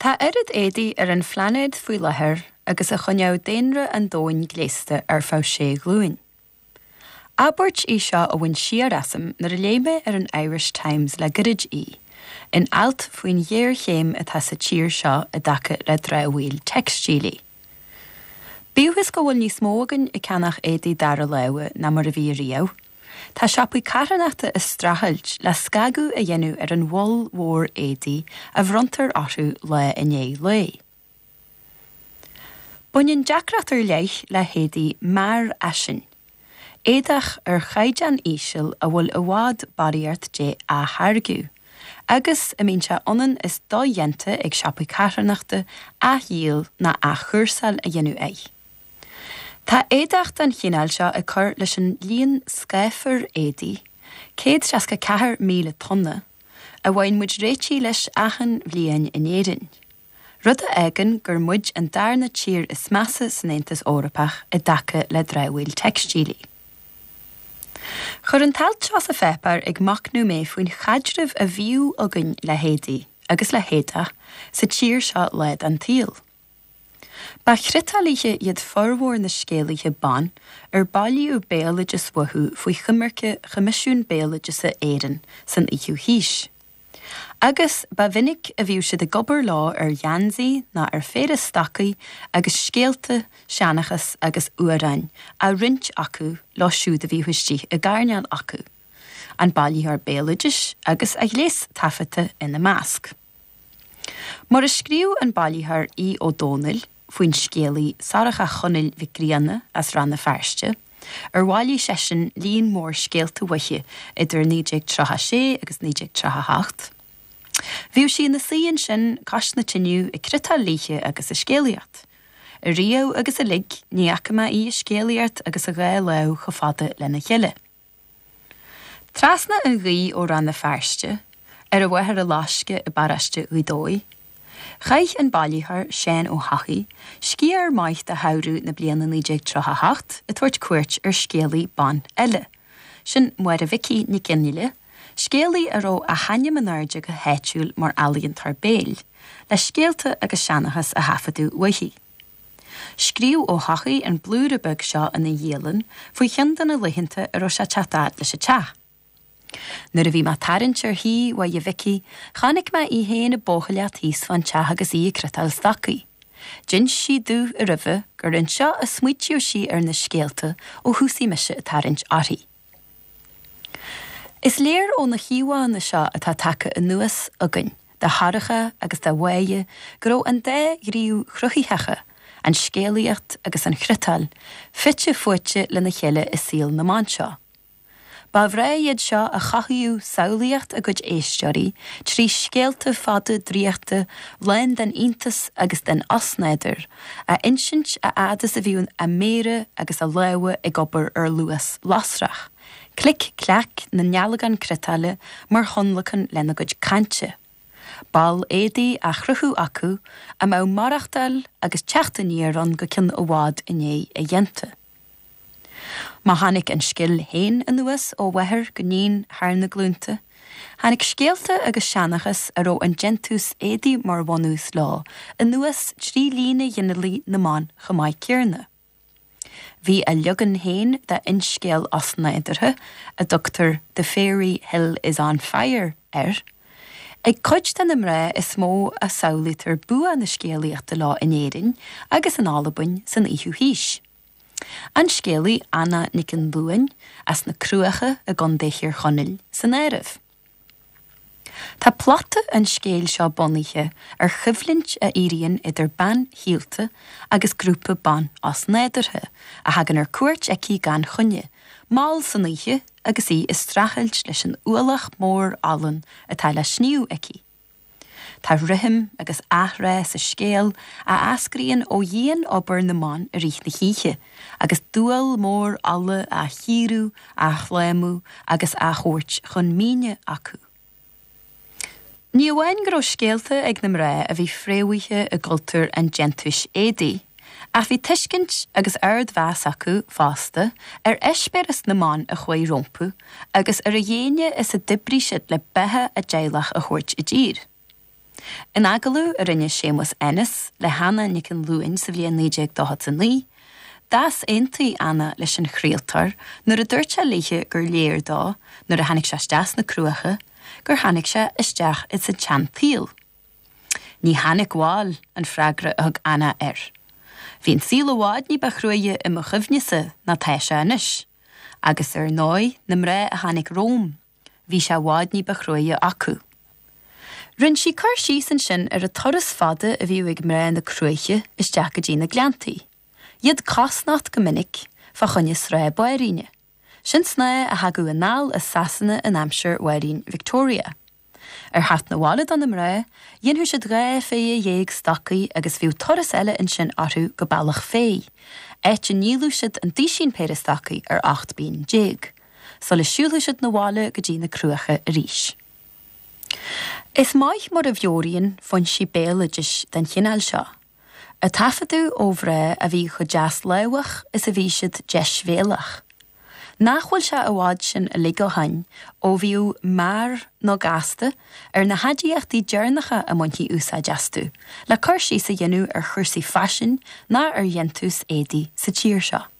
Tá oiread éadaí ar an phláinéad faoi láthair agus a choinneodh daonra an domhain gléasta ar feadh sé ghlúin. Abairt í seo a bhain siar asam nuair a léigh mé ar an Irish Times le gairid í, in alt faoin ghéarchéim atá sa tír seo i dtaca le dramhaíl teicstílí. Bíodh is go bhfuil níos mó againn ag ceannach éadaí dara láimhe ná mar a bhí ariamh, tá siopaí carthanachta ag streachailt le scagadh a dhéanamh ar an mholl mhór éadaí a bhronntar orthu lá i ndiaidh lae. Baineann deacracht ar leith le héadaí mearfhaisin, éadach ar chaighdeán íseal a bhfuil i bhfad barraíocht de á tháirgeadh, agus a mbíonn sé ionann is dodhéanta ag siopaí carthanachta athdhíol ná athchúrsáil a dhéanamh air. Tá éadach den chineál seo ag cur leis an líon scáfar éadaí, 164,000 tonna, a bhfaigheann muid réitithe leis achan bhliain in Éirinn. Rud a fhágann gur muid an darna tír is measa san Aontas Eorpach i dtaca le dramhaíl teicstílí. Chuir an t-alt seo sa pháipéar ag machnamh mé faoin chaidreamh a bhíodh againn le héadaí agus le héadach sa tír seo lá den tsaol. Ba chriotálaithe iad formhór na scéalaithe ban ar bailíodh béaloideas uathu faoi choimirce Choimisiún Béaloideasa Éireann san fhichiú haois. Agus ba mhinic a bhíodh siad ag obair leo ar gheansaí ná ar phéire stocaí agus scéalta, seanchas agus amhráin á roinnt acu leo siúd a bhíodh istigh i gcoirnéal acu, an bailitheoir béaloidis agus a ghléas taifeadta ina measc. Mar a scríobh an bailitheoir Aodh Ó Domhnaill faoin scéalaí Sorcha Chonaill Mhic Grianna as Rann na Feirste, ar bhailigh seisean líon mór scéalta uaithi idir 1936 agus 1938. Bhíodh sí ina suí ansin cois na tineadh ag criotáil léithe agus ag scéalaíocht. Ariamh agus uilig ní fhaca mé í ag scéalaíocht agus a dhá lámh chomh fada lena chéile. Trasna an ghaoth ó Rann na Feirste, ar an Mhachaire Loiscthe i bparóiste Ghaoth Dobhair, chaith an bailitheoir Seán Ó hEochaidh sciar maith de shamhradh na bliana 1938 ag tabhairt cuairt ar scéalaí ban eile, sin Máire Mhicí Nic Fhionnghaile, scéalaí a raibh a hainm in airde go háitiúil mar ealaíontóir béil, le scéalta agus seanchas a thaifeadadh uaithi. Scríobh Ó hEochaidh an blúire beag seo ina dhialann faoi cheann de na laethanta a raibh sé ag teacht fhad leis an teach. Nuair a bhí mé ag tarraingt ar thigh Mháire Mhicí, chonaic mé í féin ag bóchailleacht thíos fán teach agus í ag criotáil stocaí. D'inis sí domh roimhe gur anseo a smaoitíodh sí ar na scéalta ó thosaigh mise ag tarraingt uirthi. Is léir ó na híomhánna seo atá tagtha anuas againn de Shorcha agus de Mháire go raibh an dá ghníomh chruthaitheacha, an scéalaíocht agus an chriotáil, fite fuaite lena chéile i saol na mban seo. Ba mhná iad seo a chothaíodh samhlaíocht a gcuid éisteoirí trí scéalta fada draíochta lán den iontas agus den osnádúr a insint a fhad is a bhíodh a méara agus a lámha ag obair ar luas lasrach, clic cleac na ndealgán criotála mar thionlacan lena gcuid cainte. Ball éadaí á chruthú acu a mbeadh maireachtáil agus teacht aniar ann go ceann i bhfad i ndiaidh a dhéanta. Má tháinig an scil féin anuas ó mháthair go níon thar na glúnta, tháinig scéalta agus seanchas a raibh an déantús éadaí mar bhunús leo anuas trí líne ghinealaigh na mban chomh maith céarna. Bhí a leagan féin de fhinscéal osnádúrtha, a dtugtar 'The Fairy Hill is on Fire' air, ag cuid de na mná is mó a samhlaítear bua na scéalaíochta leo in Éirinn agus in Albain san fhichiú haois. An scéalaí Anna Nic an Luain as na Cruacha i gContae Thír Chonaill san áireamh. Tá plota an scéil seo bunaithe ar choimhlint a éiríonn idir bean shaolta agus grúpa ban osnádúrtha a thagann ar cuairt aici gan choinne, mall san oíche agus í ag streachailt leis an ualach mór olann atá le sníomh aici. Tá rithim agus athrá sa scéal a eascraíonn ó dhian-obair na mban i rith na hoíche, agus dual mór olla á chíoradh, á shlámú agus á thabhairt chun míne acu. Ní amháin go raibh scéalta ag na mná a bhí fréamhaithe i gcultúr an déantúis éadaí, ach bhí tuiscint agus ardmheas acu fosta ar eispéireas na mban a chuaigh rompu agus ar a dhéine is a d'oibrigh siad le beatha a dteaghlach a thabhairt i dtír. In agallamh a rinne Séamus Ennis le hAnna Nic an Luain sa bhliain 1949, d'easaontaigh Anna leis an chraoltóir nuair a dúirt sé léithe gur léir dó, nuair a tháinig sé isteach sna Cruacha, gur tháinig sé isteach ins an tseantsaol. Ní tháinig bhail, an freagra a thug Anna air. Bhí an saol i bhfad ní ba chruaidhe i mo chuimhnese ná tá sé anois. Agus ar ndóigh, na mná a tháinig romham, bhí sé i bhfad ní ba chruaidhe acu. Rinne sí cur síos ansin ar an turas fada a bhíodh ag mná na Cruaiche isteach go dtí na Gleanntaí. Iad cosnocht go minic fá choinne snáth báiríne. Sin snáth a thagadh anall as Sasana in aimsir Mháirín Victoria. Ar theacht 'na bhaile do na mná, dhéanfadh siad 12 phéire stocaí agus bhíodh turas eile ansin orthu go Bealach Féich, áit a ndíoladh siad an duisín péire stocaí ar 18 bpingin, sula siúlfadh siad 'na bhaile go dtí na Cruacha arís. Is maith mar a mheabhraíonn foinsí béaloidis den chineál seo. a taifeadadh ó mhná a bhí chomh deaslámhach is a bhí siad deisbhéalach. Nach bhfuil sé i bhfad sin uilig ó shoin ó bhíodh 'mear' nó 'gasta' ar na haidiachtaí deireanacha a mbaintí úsáid astu le cur síos a dhéanamh ar chúrsaí faisin ná ar dhéantús éadaí sa tír seo.